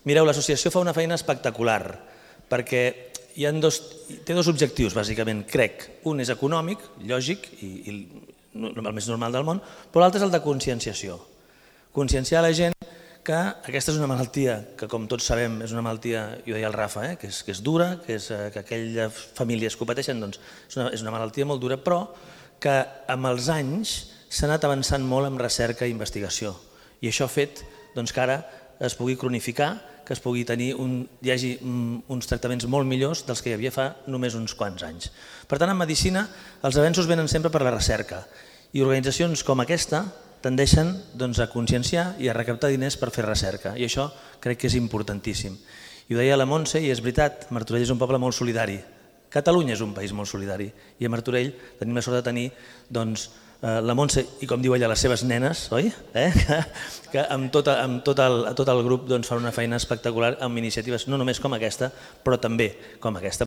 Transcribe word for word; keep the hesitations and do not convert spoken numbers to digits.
Mireu, l'associació fa una feina espectacular perquè hi ha dos, té dos objectius, bàsicament, crec. Un és econòmic, lògic, i, i el més normal del món, però l'altre és el de conscienciació. Conscienciar la gent que aquesta és una malaltia que, com tots sabem, és una malaltia, i ho deia el Rafa, eh, que, és, que és dura, que, és, que aquelles famílies que ho pateixen, doncs, és, una, és una malaltia molt dura, però que amb els anys s'ha anat avançant molt en recerca i investigació. I això ha fet doncs, que ara es pugui cronificar, que es pugui tenir un, hi hagi uns tractaments molt millors dels que hi havia fa només uns quants anys. Per tant, en medicina els avenços venen sempre per la recerca i organitzacions com aquesta tendeixen doncs, a conscienciar i a recaptar diners per fer recerca i això crec que és importantíssim. I ho deia la Montse i és veritat, Martorell és un poble molt solidari. Catalunya és un país molt solidari i a Martorell tenim la sort de tenir doncs, la Montse i com diu ella les seves nenes, oi? Eh? Que, que amb, tot, amb tot, el, tot el grup doncs, fan una feina espectacular amb iniciatives no només com aquesta però també com aquesta.